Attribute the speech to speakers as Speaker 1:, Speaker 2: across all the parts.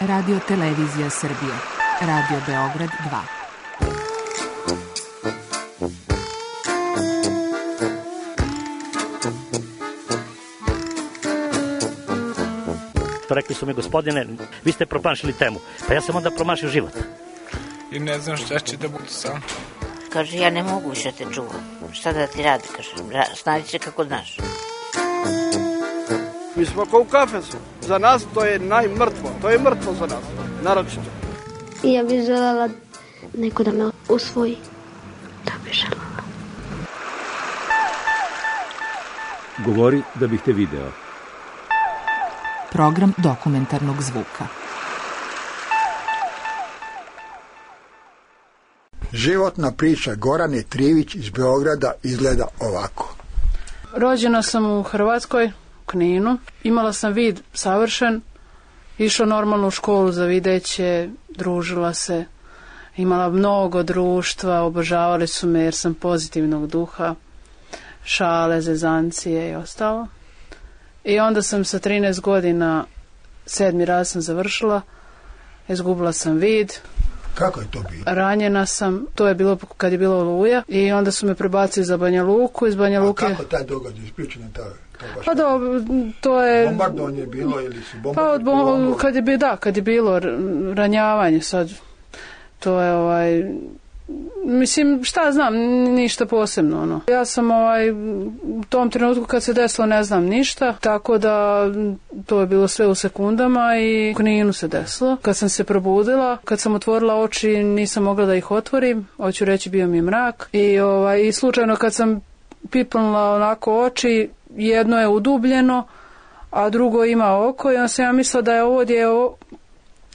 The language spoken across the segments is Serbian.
Speaker 1: Radio Televizija Srbije. Radio Beograd 2.
Speaker 2: Rekli su mi, gospodine, vi ste promašili temu. Pa ja sam onda promašio život.
Speaker 3: I ne znam šta će da bude sam.
Speaker 4: Kaže, ja ne mogu više te čuvam. Šta da ti radi, kaže, snađi se kako znaš.
Speaker 5: Mi smo kao u kafesu. Za nas to je najmrtvo. To je mrtvo za nas, naročito.
Speaker 6: I ja bih željela neko da me usvoji. Da bih željela.
Speaker 7: Govori da bih te video.
Speaker 1: Program dokumentarnog zvuka.
Speaker 8: Životna priča Gorane Trivić iz Beograda izgleda ovako.
Speaker 9: Rođena sam u Hrvatskoj, u Kninu. Imala sam vid savršen. Išla normalno u školu za videće, družila se. Imala mnogo društva, obožavali su me jer sam pozitivnog duha. Šale, zezancije i ostalo. I onda sam sa 13 godina, 7. raz sam završila, izgubila sam vid.
Speaker 8: Kako je to bilo?
Speaker 9: Ranjena sam, to je bilo kad je bilo Oluja i onda su me prebacili za Banja Luku. Iz Banja Luke...
Speaker 8: A kako taj događaj, ispričaj nam
Speaker 9: Pa to je...
Speaker 8: Bombardovanje je bilo ili su bombardovanje?
Speaker 9: Pa kad je bilo ranjavanje sad, to je mislim, šta znam, ništa posebno, ono. Ja sam u tom trenutku kad se desilo ne znam ništa, tako da to je bilo sve u sekundama i u Kninu se desilo. Kad sam se probudila, kad sam otvorila oči, nisam mogla da ih otvorim, hoću reći bio mi je mrak i slučajno kad sam pipnula onako oči, jedno je udubljeno, a drugo ima oko i onda sam ja mislila da je ovo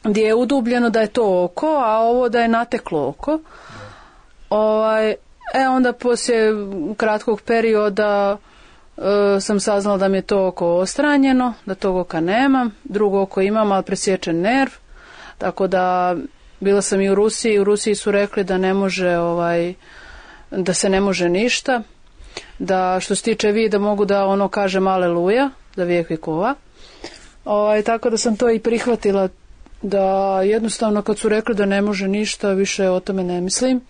Speaker 9: gdje je udubljeno da je to oko, a ovo da je nateklo oko. Onda poslije kratkog perioda sam saznala da mi je to oko ostranjeno, da tog oka nemam, drugo oko imam, ali presječen nerv, tako da bila sam i u Rusiji su rekli da ne može, da se ne može ništa, da što se tiče vida mogu da kažem aleluja, za vijek vjekova, tako da sam to i prihvatila, da jednostavno kad su rekli da ne može ništa, više o tome ne mislim.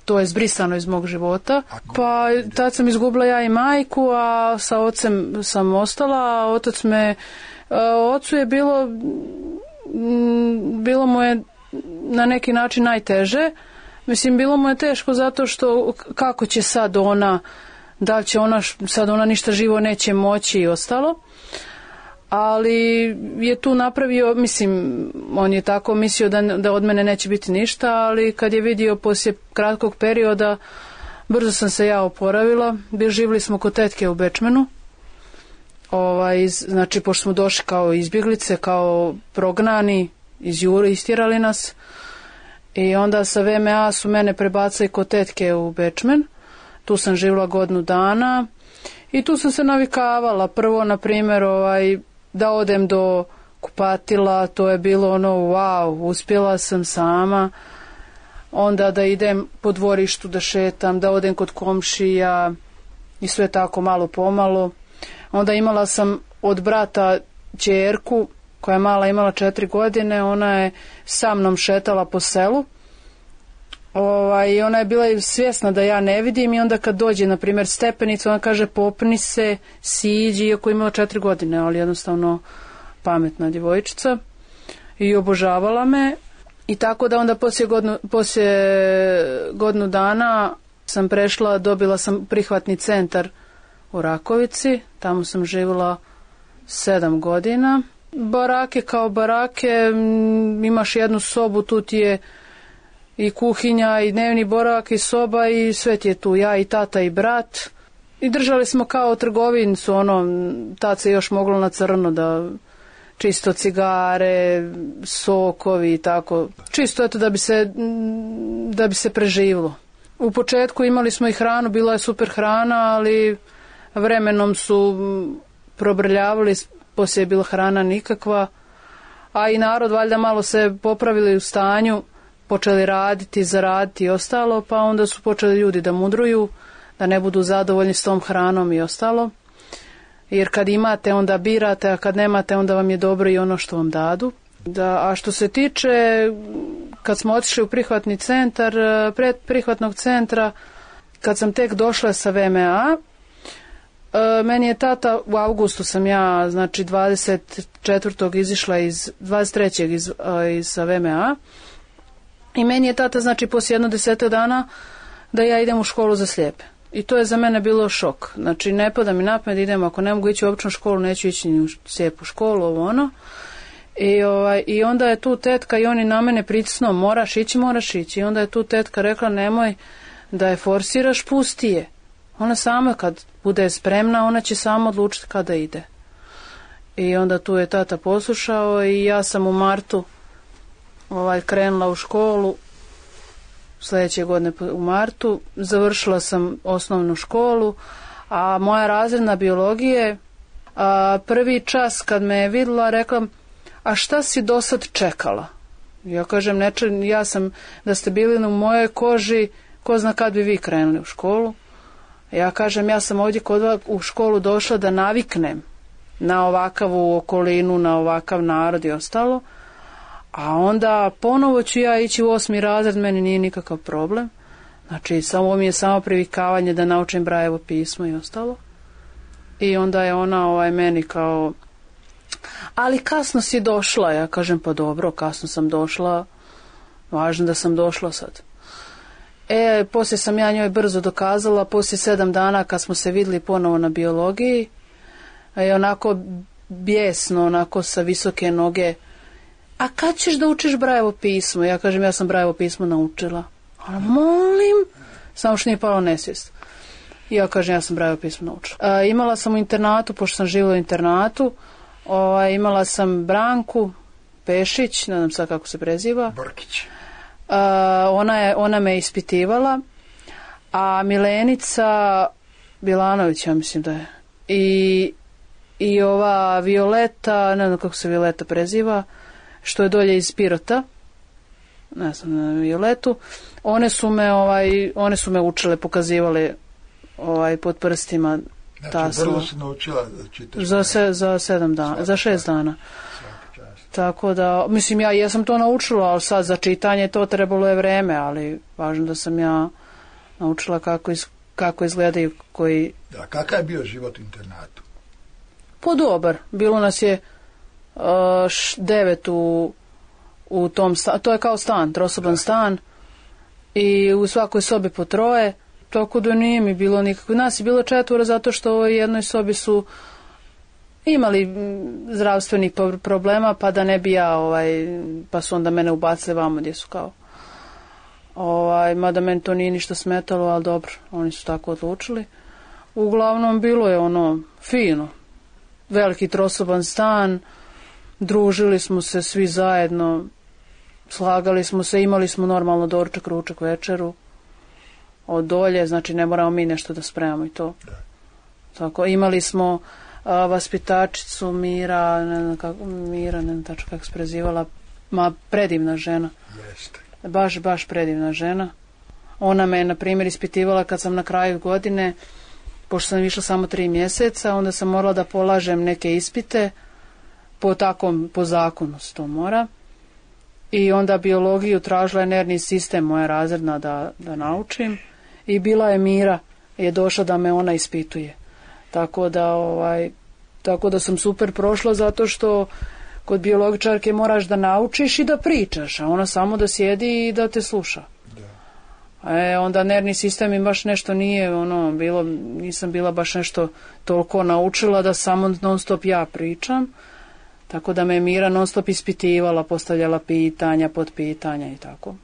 Speaker 9: To je zbrisano iz mog života. Pa tad sam izgubila ja i majku, a sa ocem sam ostala, a ocu je bilo mu je na neki način najteže. Mislim, bilo mu je teško zato što kako će sad ona, da li će ona ništa živo neće moći i ostalo. Ali je tu napravio, mislim, on je tako mislio da od mene neće biti ništa, ali kad je vidio poslije kratkog perioda, brzo sam se ja oporavila. Živjeli smo kod tetke u Bečmenu, znači pošto smo došli kao izbjeglice, kao prognani iz Jure, istjerali nas i onda sa VMA su mene prebacili kod tetke u Bečmen. Tu sam živjela godinu dana i tu sam se navikavala. Prvo, na primjer, da odem do kupatila, to je bilo wow, uspjela sam sama. Onda da idem po dvorištu da šetam, da odem kod komšija i sve tako malo pomalo. Onda imala sam od brata ćerku koja je mala, imala 4 godine, ona je sa mnom šetala po selu. I ona je bila svjesna da ja ne vidim i onda kad dođe, na primjer, stepenicu, ona kaže popni se, siđi, iako imala 4 godine, ali jednostavno pametna djevojčica i obožavala me. I tako da onda poslije godinu dana sam prešla, dobila sam prihvatni centar u Rakovici, tamo sam živjela 7 godina. Barake kao barake, imaš jednu sobu, tu ti je i kuhinja i dnevni boravak i soba i sve ti je tu, ja i tata i brat. I držali smo kao trgovincu, tad se još moglo na crno da čisto cigare, sokovi i tako. Čisto eto da bi se preživilo. U početku imali smo i hranu, bila je super hrana, ali vremenom su probrljavali, poslije je bila hrana nikakva. A i narod valjda malo se popravili u stanju, počeli raditi, zaraditi i ostalo, pa onda su počeli ljudi da mudruju, da ne budu zadovoljni s tom hranom i ostalo. Jer kad imate, onda birate, a kad nemate, onda vam je dobro i ono što vam dadu. Da, a što se tiče, kad smo otišli u prihvatni centar, pred prihvatnog centra, kad sam tek došla sa VMA, meni je tata, u avgustu sam ja, znači 24. izišla 23. iz sa VMA, i meni je tata, znači poslije 10 dana, da ja idem u školu za slijepe. I to je za mene bilo šok. Znači, ne pada mi na pamet da idem, ako ne mogu ići u običnu školu, neću ići ni u slijepu školu, ovo ono. I onda je tu tetka i oni na mene pritisnuo, moraš ići. I onda je tu tetka rekla, nemoj da je forsiraš, pusti je. Ona sama kad bude spremna, ona će sama odlučiti kada ide. I onda tu je tata poslušao i ja sam u martu krenula u školu, sljedeće godine u martu, završila sam osnovnu školu, a moja razredna biologije, prvi čas kad me je vidjela, rekla, a šta si do sad čekala? Ja kažem, ja sam, da ste bili u mojoj koži, ko zna kad bi vi krenuli u školu. Ja kažem, ja sam ovdje kod vas u školu došla da naviknem na ovakavu okolinu, na ovakav narod i ostalo, a onda ponovo ću ja ići u 8. razred, meni nije nikakav problem. Znači, samo mi je samo privikavanje da naučim Brajevo pismo i ostalo. I onda je ona meni kao, ali kasno si došla. Ja kažem, pa dobro, kasno sam došla, važno da sam došla sad. Poslije sam ja njoj brzo dokazala, poslije 7 dana kad smo se vidjeli ponovo na biologiji, onako bijesno, onako sa visoke noge, a kad ćeš da učiš Brajevo pismo? Ja kažem, ja sam Brajevo pismo naučila. Ona, molim, samo što nije palo nesvijest. Ja kažem, ja sam Brajevo pismo naučila. Imala sam u internatu, pošto sam živjela u internatu, imala sam Branku Pešić, ne znam sad kako se preziva.
Speaker 8: Brkić.
Speaker 9: Ona me ispitivala, a Milenica Bilanović, ja mislim da je, i ova Violeta, ne znam kako se Violeta preziva, što je dolje iz Pirota, ne znam, Violetu, one su me učile, pokazivale pod prstima.
Speaker 8: Znači, brzo si naučila da čitaš?
Speaker 9: Za 7 dana, za 6 dana. Tako da, mislim, ja jesam to naučila, ali sad za čitanje to trebalo je vreme, ali važno da sam ja naučila kako izgledaju koji...
Speaker 8: Da, kakav je bio život u internatu?
Speaker 9: Pa dobar, bilo nas je 9 u tom stanu, to je kao stan, trosoban stan, i u svakoj sobi po 3, tako da nije mi bilo nikako. Nas je bilo 4 zato što u jednoj sobi su imali zdravstvenih problema, pa da ne bi ja, pa su onda mene ubacili vamo gdje su kao, mada meni to nije ništa smetalo, ali dobro, oni su tako odlučili. Uglavnom bilo je fino, veliki trosoban stan, družili smo se svi zajedno, slagali smo se, imali smo normalno doručak, ručak, večeru od dolje, znači ne moramo mi nešto da spremamo i to. Tako, imali smo vaspitačicu Mira, ne znam tačno kako se prezivala, predivna žena.
Speaker 8: Jeste.
Speaker 9: Baš predivna žena. Ona me, na primjer, ispitivala kad sam na kraju godine, pošto sam išla samo 3 mjeseca, onda sam morala da polažem neke ispite, po zakonu se to mora. I onda biologiju tražila je nervni sistem, moja razredna, da naučim. I bila je Mira, je došla da me ona ispituje. Tako da sam super prošla, zato što kod biologičarke moraš da naučiš i da pričaš, a ona samo da sjedi i da te sluša. Onda nervni sistem mi baš nešto nije bilo, nisam bila baš nešto toliko naučila da samo non stop ja pričam, tako da me Mira non stop ispitivala, postavljala pitanja, podpitanja i tako.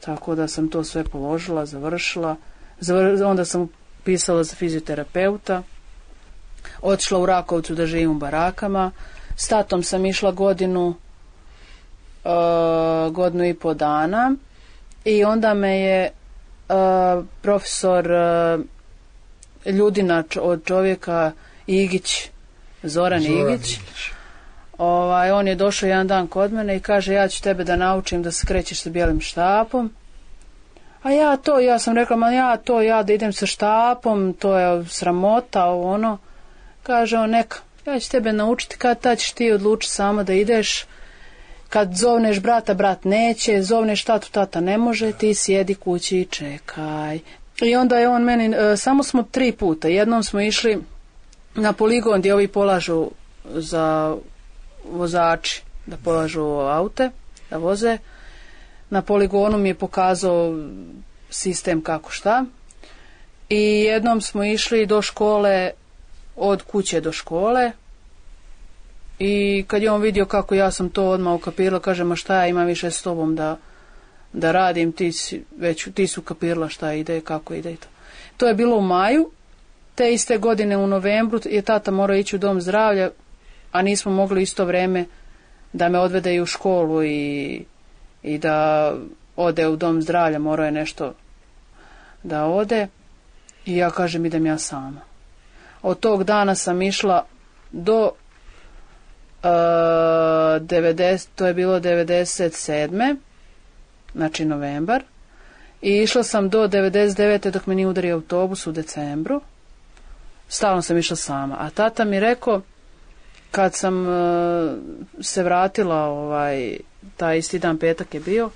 Speaker 9: Tako da sam to sve položila, završila, onda sam pisala za fizioterapeuta, otišla u Rakovcu da živim u barakama, s tatom sam išla godinu i po dana, i onda me je profesor Ljudina od čovjeka Igić, Zoran Igić, on je došao jedan dan kod mene i kaže, ja ću tebe da naučim da se krećeš sa bijelim štapom. A ja sam rekla, ja da idem sa štapom, to je sramota, Kaže on, neka, ja ću tebe naučiti, kad ćeš ti odlučiti sama da ideš, kad zovneš brata, brat neće, zovneš tatu, tata ne može, ti sjedi kući i čekaj. I onda je on meni, samo smo 3 puta, jednom smo išli na poligon gdje ovi polažu za vozači, da polažu aute, da voze. Na poligonu mi je pokazao sistem kako šta. I jednom smo išli do škole, od kuće do škole. I kad je on vidio kako ja sam to odmah ukapirala, kaže, ma šta ja imam više s tobom da radim, ti su ukapirala šta ide, kako ide i to. To je bilo u maju. Te iste godine u novembru je tata morao ići u dom zdravlja, a nismo mogli isto vrijeme da me odvede i u školu i da ode u dom zdravlja, morao je nešto da ode. I ja kažem, idem ja sama. Od tog dana sam išla do 90, to je bilo 97. Znači novembar. I išla sam do 99. dok me nije udario autobus u decembru. Stalno sam išla sama. A tata mi rekao, kad sam se vratila, taj isti dan, petak je bio,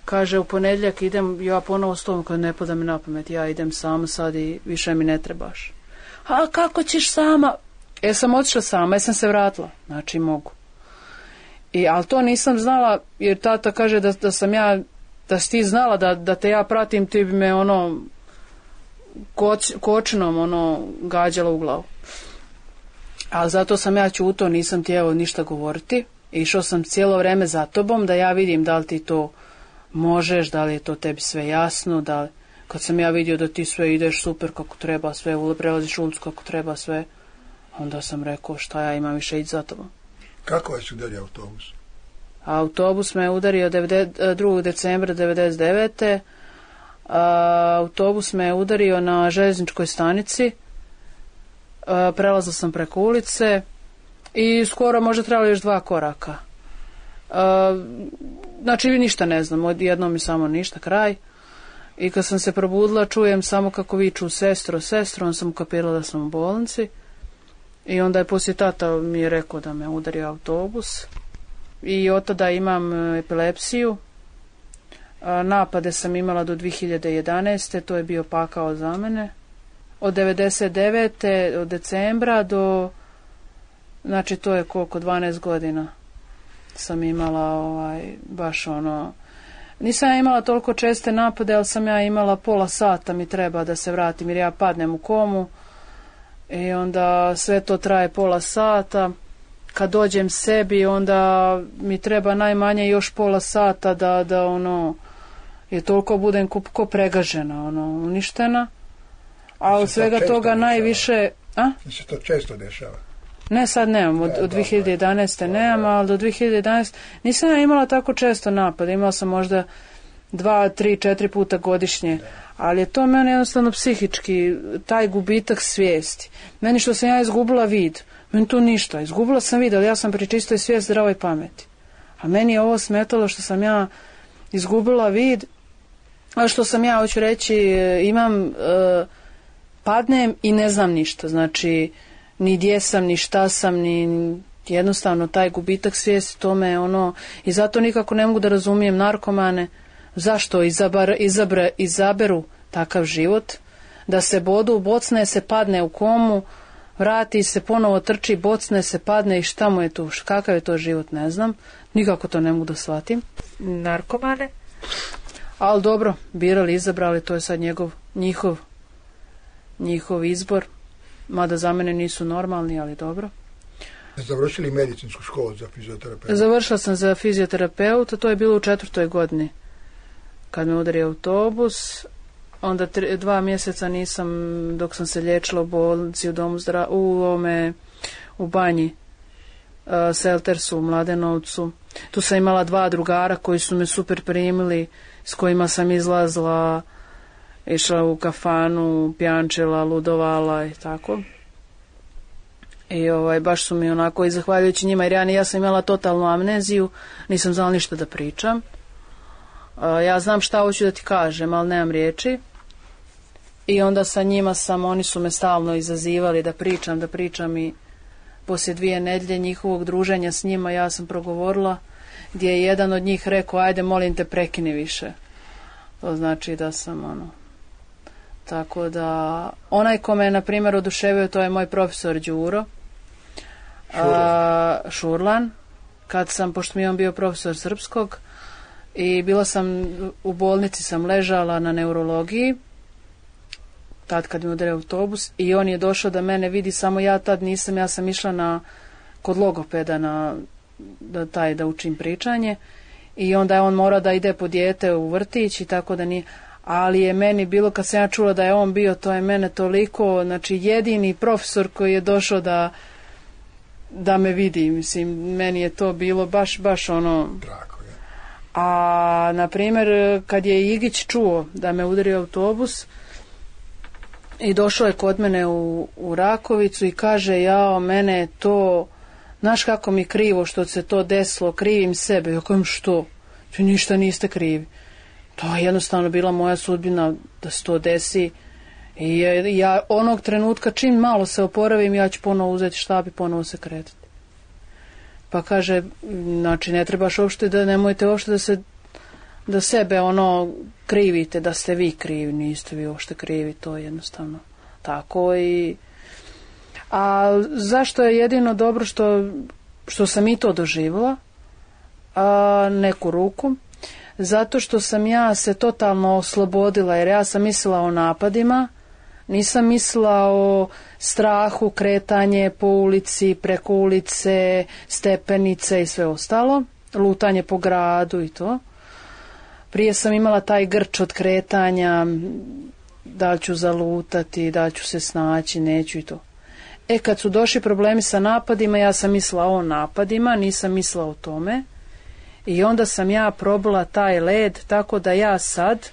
Speaker 9: kaže, u ponedjeljak idem ja ponovo s tom, kad ne pada mi na pamet, ja idem sama sad i više mi ne trebaš. A kako ćeš sama? Sam otišla sama, sam se vratila. Znači mogu. Ali to nisam znala, jer tata kaže da sam ja, da si ti znala da te ja pratim, ti bi me kočinom gađala u glavu. Ali zato sam ja ćuto, nisam htjela ništa govoriti. Išao sam cijelo vrijeme za tobom da ja vidim da li ti to možeš, da li je to tebi sve jasno, kad sam ja vidio da ti sve ideš super kako treba, sve prelaziš ulicu kako treba, sve, onda sam rekao šta ja imam više ići za tobom.
Speaker 8: Kako vas udario autobus?
Speaker 9: Autobus me udario 2. decembra 99. Autobus me udario na željezničkoj stanici. Prelazila sam preko ulice i skoro možda trebalo još 2 koraka. Znači ništa ne znam, odjednom mi samo ništa, kraj. I kad sam se probudila čujem samo kako viču sestro, on sam ukapirala da sam u bolnici. I onda je poslije tata mi je rekao da me udario autobus. I od tada imam epilepsiju. Napade sam imala do 2011. To je bio pakao za mene. Od 99. od decembra do, znači to je koliko, 12 godina sam imala baš nisam ja imala toliko česte napade, ali sam ja imala pola sata mi treba da se vratim jer ja padnem u komu i onda sve to traje pola sata. Kad dođem sebi onda mi treba najmanje još pola sata da je toliko budem ko pregažena, uništena. A od svega toga najviše...
Speaker 8: Mi se to često dešava.
Speaker 9: Ne, sad nemam, od 2011. nemam, ali do 2011. nisam ja imala tako često napad, imala sam možda 2, 3, 4 puta godišnje, ali je to meni jednostavno psihički, taj gubitak svijesti. Meni što sam ja izgubila vid, meni to ništa, izgubila sam vid, ali ja sam pri čistoj svijesti, zdravoj pameti. A meni je ovo smetalo što sam ja izgubila vid, a što sam ja, hoću reći, imam... padnem i ne znam ništa, znači ni gdje sam, ni šta sam, ni jednostavno taj gubitak svijesti, to me i zato nikako ne mogu da razumijem narkomane, zašto izaberu takav život, da se bodu, bocne se, padne u komu, vrati se, ponovo trči, bocne se, padne i šta mu je tu, kakav je to život, ne znam, nikako to ne mogu da shvatim.
Speaker 4: Narkomane?
Speaker 9: Ali dobro, birali, izabrali, to je sad njihov izbor, mada za mene nisu normalni, ali dobro.
Speaker 8: Završili medicinsku školu za fizioterapeuta?
Speaker 9: Završila sam za fizioterapeuta, to je bilo u 4. godini. Kad me udario autobus, onda 2 mjeseca nisam, dok sam se liječila u bolnici, u banji, Seltersu, u Mladenovcu. Tu sam imala 2 drugara koji su me super primili, s kojima sam izlazila, išla u kafanu, pjančila, ludovala i tako. I baš su mi onako, i zahvaljujući njima, jer ja sam imala totalnu amneziju, nisam znala ništa da pričam. Ja znam šta hoću da ti kažem, ali nemam riječi. I onda sa njima oni su me stalno izazivali da pričam i poslije 2 nedjelje njihovog druženja s njima ja sam progovorila, gdje je jedan od njih rekao, ajde molim te prekini više. To znači da sam Tako da, onaj ko me, na primjer, oduševio, to je moj profesor Đuro Šurlan, pošto mi je on bio profesor srpskog, i bila sam u bolnici, sam ležala na neurologiji, tad kad mi udario autobus, i on je došao da mene vidi, samo ja tad nisam, ja sam išla kod logopeda da učim pričanje, i onda je on morao da ide po dijete u vrtić i tako da nije, ali je meni bilo, kad sam ja čula da je on bio, to je mene toliko, znači jedini profesor koji je došao da me vidi, mislim, meni je to bilo baš ono.
Speaker 8: Drago, ja.
Speaker 9: A na primjer kad je Igić čuo da me udario autobus i došao je kod mene u Rakovicu i kaže, jao, mene je to, znaš kako mi krivo što se to desilo, krivim sebe. Ja kažem, što? Ti ništa niste krivi. To je jednostavno bila moja sudbina da se to desi. I ja onog trenutka čim malo se oporavim, ja ću ponovo uzeti štap i ponovo se kretati. Pa kaže, znači ne trebaš uopšte nemojte uopšte da sebe krivite, da ste vi krivi, niste vi uopšte krivi, to je jednostavno tako. A zašto je jedino dobro što sam i to doživjela, neku ruku? Zato što sam ja se totalno oslobodila, jer ja sam mislila o napadima, nisam mislila o strahu, kretanje po ulici, preko ulice, stepenice i sve ostalo, lutanje po gradu i to. Prije sam imala taj grč od kretanja, da ću zalutati, da ću se snaći, neću i to. Kad su došli problemi sa napadima, ja sam mislila o napadima, nisam mislila o tome. I onda sam ja probala taj led, tako da ja sad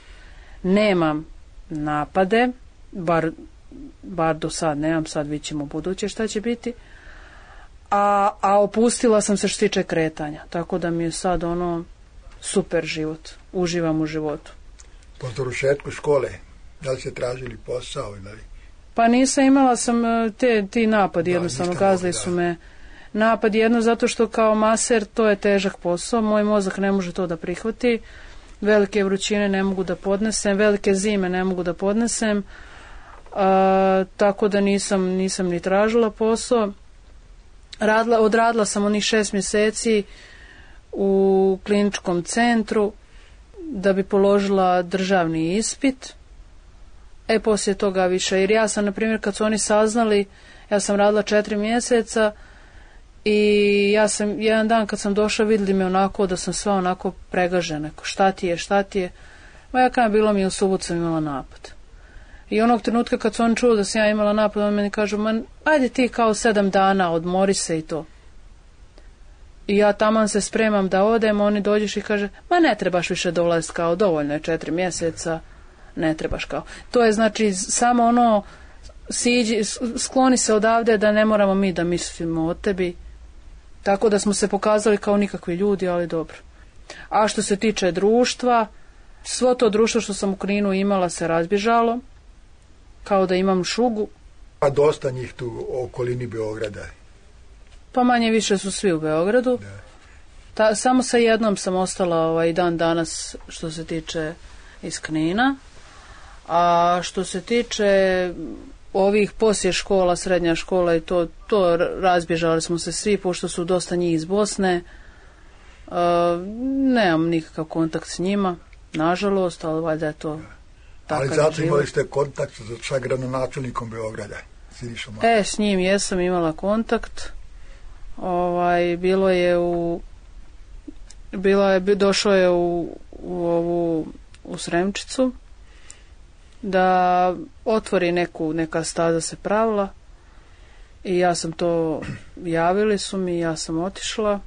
Speaker 9: nemam napade, bar do sad nemam, sad vidjet ćemo buduće šta će biti, a opustila sam se što se tiče kretanja, tako da mi je sad super život, uživam u životu.
Speaker 8: Po završetku škole, da li ste tražili posao ili?
Speaker 9: Pa nisam, imala sam ti napadi, jednostavno gazili su me. Napad jedno zato što kao maser to je težak posao, moj mozak ne može to da prihvati, velike vrućine ne mogu da podnesem, velike zime ne mogu da podnesem, tako da nisam ni tražila posao. Odradila sam onih 6 mjeseci u kliničkom centru da bi položila državni ispit, poslije toga više, jer ja sam, na primjer, kad su oni saznali, ja sam radila 4 mjeseca, i ja sam, jedan dan kad sam došla, vidjeli me onako da sam sva onako pregažena, šta ti je, ma ja kada bilo mi u subotu sam imala napad. I onog trenutka kad su oni čuli da sam ja imala napad, on meni kažu, ajde ti kao 7 dana, odmori se i to. I ja taman se spremam da odem, oni dođeš i kaže, ne trebaš više dolaziti, kao dovoljno je 4 mjeseca, ne trebaš kao. To je znači samo siđi, skloni se odavde da ne moramo mi da mislimo o tebi. Tako da smo se pokazali kao nikakvi ljudi, ali dobro. A što se tiče društva, svo to društvo što sam u Kninu imala se razbježalo, kao da imam šugu.
Speaker 8: A dosta njih tu u okolini Beograda?
Speaker 9: Pa manje više su svi u Beogradu. Samo sa jednom sam ostala i dan danas što se tiče iz Knina. A što se tiče ovih poslije škola, srednja škola i to razbježali smo se svi, pošto su dosta njih iz Bosne. Nemam nikakav kontakt s njima, nažalost, ali valjda je to takav život.
Speaker 8: Ali zato imali ste kontakt sa gradonačelnikom Beograda?
Speaker 9: S njim jesam imala kontakt. Došao je u Sremčicu da otvori neka staza se pravila i ja sam to, javili su mi, ja sam otišla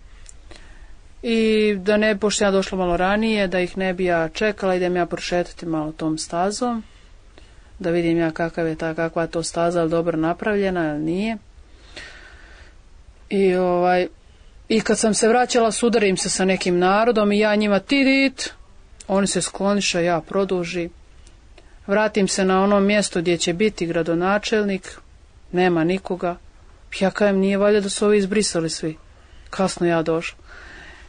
Speaker 9: i da ne, pošto ja došla malo ranije, da ih ne bi ja čekala, idem ja prošetati malo tom stazom, da vidim ja kakva je to staza, ali dobro napravljena ili nije. I kad sam se vraćala, sudarim se sa nekim narodom i ja njima tidit, oni se skloniše, ja produži. Vratim se na ono mjesto gdje će biti gradonačelnik, nema nikoga, Ja kažem, nije valjda da su ovi izbrisali svi. Kasno ja došla.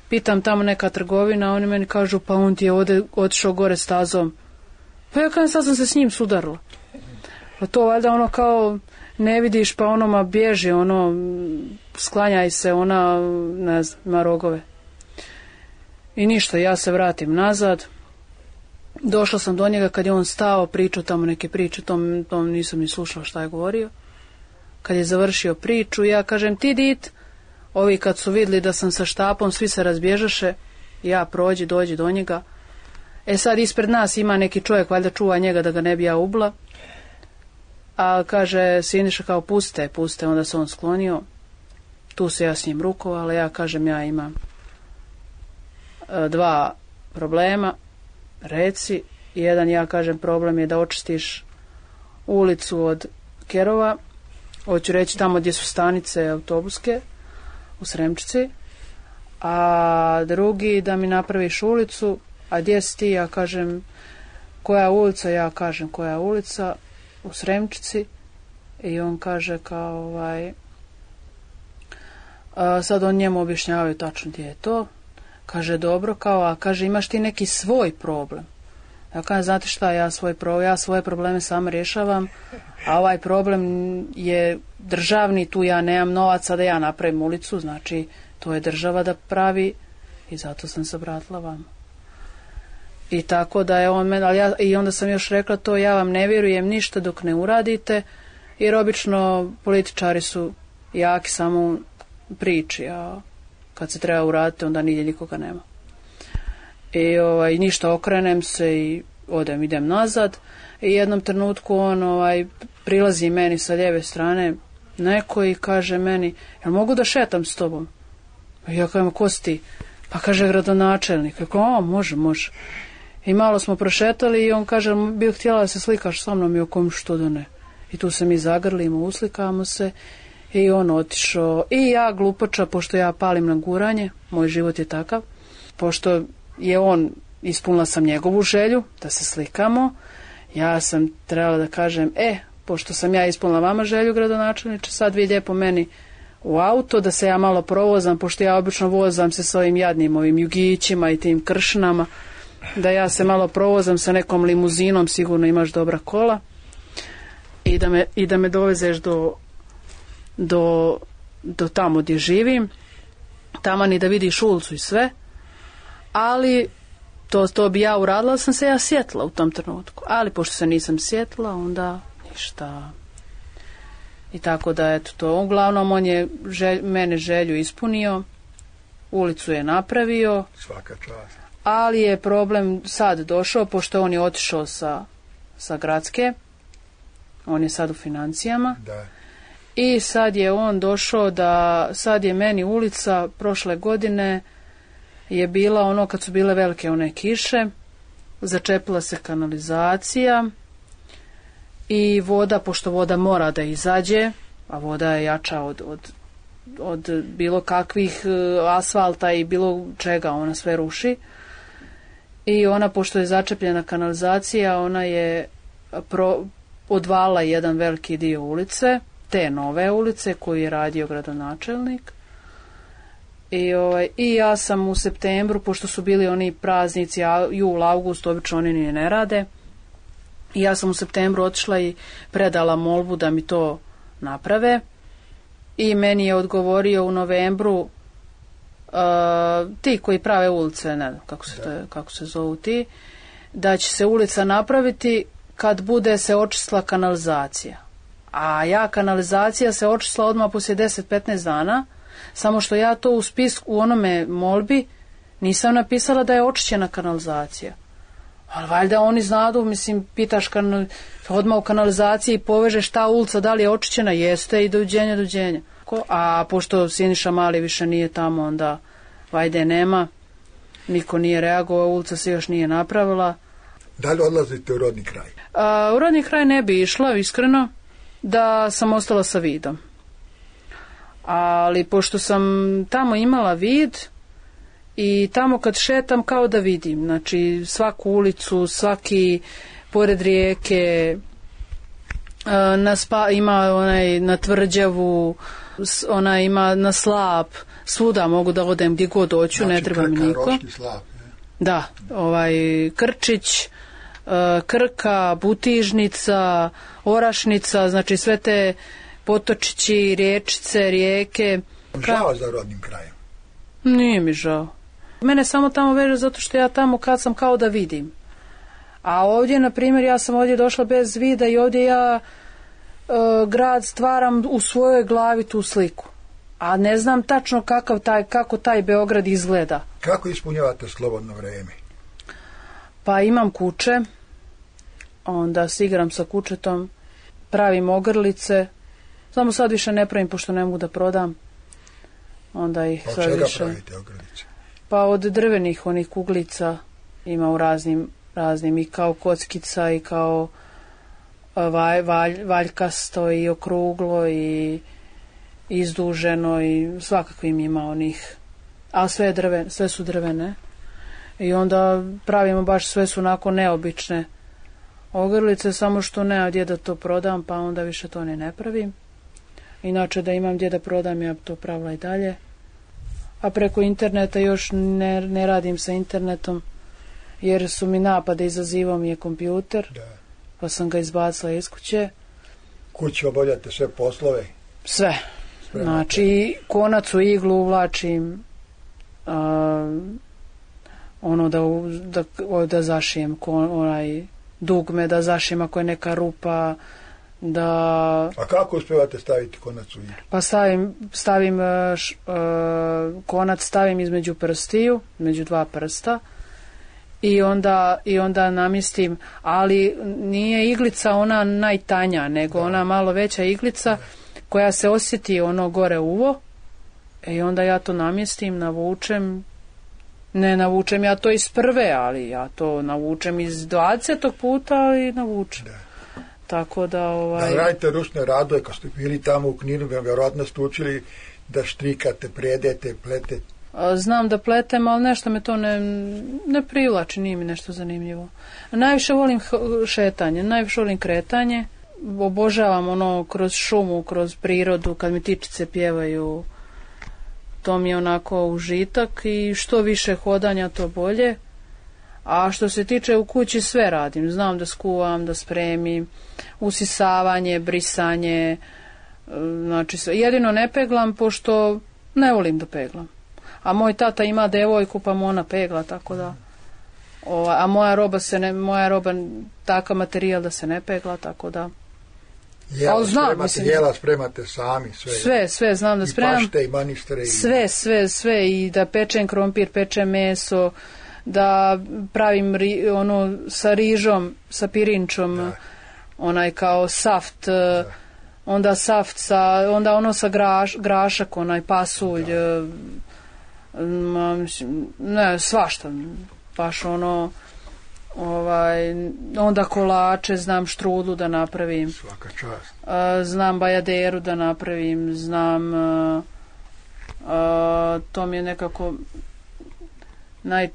Speaker 9: Pitam tamo neka trgovina, oni meni kažu, pa on ti je otišao gore stazom. Pa ja kažem, sad sam se s njim sudarila. Pa to valjda ono kao ne vidiš, pa onoma bježi, sklanjaj se, ona, ne znam, ima rogove. I ništa, ja se vratim nazad. Došla sam do njega kad je on stao, pričao tamo neke priče, tom nisam ni slušala šta je govorio. Kad je završio priču, ja kažem, ti dit, ovi kad su vidjeli da sam sa štapom, svi se razbježaše, ja dođi do njega. Sad ispred nas ima neki čovjek, valjda čuva njega da ga ne bi ja ubila. A kaže, Siniša kao puste, onda se on sklonio. Tu se ja s njim rukovala, ja kažem, ja imam 2 problema, reci. Jedan, ja kažem, problem je da očistiš ulicu od kerova, hoću reći tamo gdje su stanice autobuske, u Sremčici, a drugi da mi napraviš ulicu, a gdje si ti, ja kažem, koja ulica, ja kažem, koja ulica, u Sremčici, i on kaže kao sad on njemu objašnjavaju tačno gdje je to, kaže dobro, kao, a kaže imaš ti neki svoj problem. Ja kažem, znate šta, ja svoje probleme sama rješavam, a ovaj problem je državni, tu ja nemam novaca da ja napravim ulicu, znači to je država da pravi i zato sam se obratila vama. I tako da je on i onda sam još rekla to, ja vam ne vjerujem ništa dok ne uradite, jer obično političari su jaki samo u priči, a kad se treba uraditi onda nigdje nikoga nema. I ništa, okrenem se i idem nazad i jednom trenutku on prilazi meni sa lijeve strane neko i kaže meni, jel mogu da šetam s tobom? Ja kažem, ko si ti? Pa kaže, gradonačelnik. Ja kažem, može. I malo smo prošetali i on kaže, bi htjela da se slikaš sa mnom, i o kom što da ne. I tu se mi zagrlimo, uslikamo se i on otišao. I ja glupača, pošto ja palim na guranje, moj život je takav, pošto je on, ispunila sam njegovu želju da se slikamo, ja sam trebala da kažem, pošto sam ja ispunila vama želju, gradonačelniče, sad vi lijepo meni u auto, da se ja malo provozam, pošto ja obično vozam se s ovim jadnim ovim jugićima i tim kršnama, da ja se malo provozam sa nekom limuzinom, sigurno imaš dobra kola, i da me dovezeš do tamo gdje živim, tamo ni da vidiš ulicu i sve, ali to bi ja uradila, ali sam se ja sjetila u tom trenutku, ali pošto se nisam sjetila, onda ništa. I tako da, eto to, uglavnom on je mene želju ispunio, ulicu je napravio,
Speaker 8: svaka čast.
Speaker 9: Ali je problem sad došao, pošto on je otišao sa gradske, on je sad u financijama,
Speaker 8: da.
Speaker 9: I sad je on došao sad je meni ulica prošle godine je bila kad su bile velike one kiše, začepila se kanalizacija i voda, pošto voda mora da izađe, a voda je jača od bilo kakvih asfalta i bilo čega, ona sve ruši. I ona, pošto je začepljena kanalizacija, ona je odvala jedan veliki dio ulice, te nove ulice koju je radio gradonačelnik. I ja sam u septembru, pošto su bili oni praznici, jul, august, obično oni ni ne rade, i ja sam u septembru otišla i predala molbu da mi to naprave, i meni je odgovorio u novembru ti koji prave ulice, ne znam kako se zovu ti, da će se ulica napraviti kad bude se očistila kanalizacija. A kanalizacija se očistila odmah poslije 10-15 dana, samo što ja to u spisku, u onome molbi, nisam napisala da je očišćena kanalizacija. Ali valjda oni znadu, mislim, pitaš odmah u kanalizaciji i povežeš ta ulica da li je očišćena, jeste, i dođenja. A pošto Siniša Mali više nije tamo, onda vajde nema, niko nije reagovao, ulica se još nije napravila.
Speaker 8: Da li odlazite u rodni kraj?
Speaker 9: U rodni kraj ne bi išla, iskreno, da sam ostala sa vidom. Ali pošto sam tamo imala vid i tamo kad šetam kao da vidim, znači svaku ulicu, svaki pored rijeke, ima na Tvrđavu, Ona ima na Slap, svuda mogu da odem gdje god hoću,
Speaker 8: znači,
Speaker 9: ne treba mi niko.
Speaker 8: Roški Slap, ne?
Speaker 9: Da, Krčić, Krka, Butižnica, Orašnica, znači sve te potočići, riječice, rijeke.
Speaker 8: Žao za rodnim krajem?
Speaker 9: Nije mi žao. Mene samo tamo veže zato što ja tamo kad sam kao da vidim. A ovdje, na primjer, ja sam ovdje došla bez vida i ovdje ja grad stvaram u svojoj glavi tu sliku. A ne znam tačno kako taj Beograd izgleda.
Speaker 8: Kako ispunjavate slobodno vrijeme?
Speaker 9: Pa imam kuće, onda se igram sa kućetom, pravim ogrlice, samo sad više ne pravim pošto ne mogu da prodam. Onda ih sad
Speaker 8: čega
Speaker 9: više...
Speaker 8: pravite ogrlice?
Speaker 9: Pa od drvenih onih kuglica ima u raznim i kao kockica i kao valjkasto i okruglo i izduženo i svakakvim ima onih, a sve su drvene i onda pravimo baš sve su onako neobične ogrlice, samo što nema gdje da to prodam, pa onda više to ne pravim. Inače da imam gdje da prodam, ja bi to pravila i dalje. A preko interneta još ne radim sa internetom, jer su mi napade, izazivao mi je kompjuter, pa sam ga izbacila iz kuće.
Speaker 8: Kući obavljate sve poslove?
Speaker 9: Sve. Znači, konac u iglu uvlačim, ono da zašijem, onaj dugme da zašijem ako je neka rupa, da...
Speaker 8: A kako uspjevate staviti konac u iglu?
Speaker 9: Pa stavim konac stavim između prstiju, između dva prsta i onda namjestim, ali nije iglica ona najtanja, nego ona malo veća iglica koja se osjeti ono gore uvo i onda ja to namjestim, ne navučem ja to iz prve, ali ja to navučem iz 20. puta, ali navučem. Tako da
Speaker 8: Da radite ručne radove, kad ste bili tamo u Kninu, vjerojatno ste učili da štrikate, predete, pletete.
Speaker 9: Znam da pletem, ali nešto me to ne privlači, nije mi nešto zanimljivo. Najviše volim šetanje, najviše volim kretanje. Obožavam ono kroz šumu, kroz prirodu, kad mi ptičice pjevaju. To mi je onako užitak i što više hodanja, to bolje. A što se tiče u kući, sve radim. Znam da skuvam, da spremim, usisavanje, brisanje, znači sve. Jedino ne peglam, pošto ne volim da peglam. A moj tata ima devojku, pa mu ona pegla, tako da... A moja roba takav materijal da se ne pegla, tako da...
Speaker 8: Jela spremate sami, sve?
Speaker 9: Sve znam da spremam.
Speaker 8: I pašte, i manistre.
Speaker 9: Sve, i da pečem krompir, pečem meso, da pravim ono sa rižom, sa pirinčom, onaj kao saft, onda saft onda ono sa grašak, onaj pasulj, ne, svašta, baš ono, onda kolače, znam štrudlu da napravim.
Speaker 8: Svaka čast.
Speaker 9: Znam bajaderu da napravim, znam, to mi je nekako...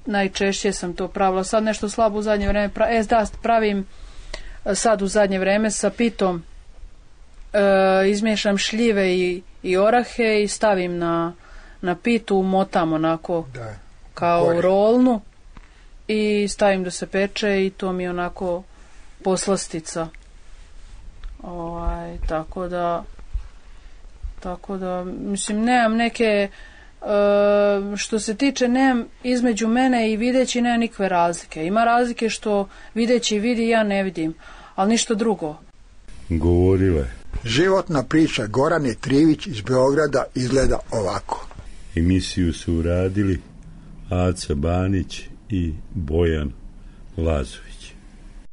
Speaker 9: Najčešće sam to pravila. Sad nešto slabo u zadnje vreme pravim sad u zadnje vreme sa pitom. Izmiješam šljive i orahe i stavim na pitu, motam onako kao rolnu i stavim da se peče i to mi je onako poslastica. Tako da mislim nemam neke što se tiče, nemam između mene i videći nema nikakve razlike. Ima razlike što videći vidi, ja ne vidim, ali ništa drugo.
Speaker 7: Govorile.
Speaker 8: Životna priča Gorane Trivić iz Beograda izgleda ovako.
Speaker 7: Emisiju su uradili Aca Banić i Bojan Lazović.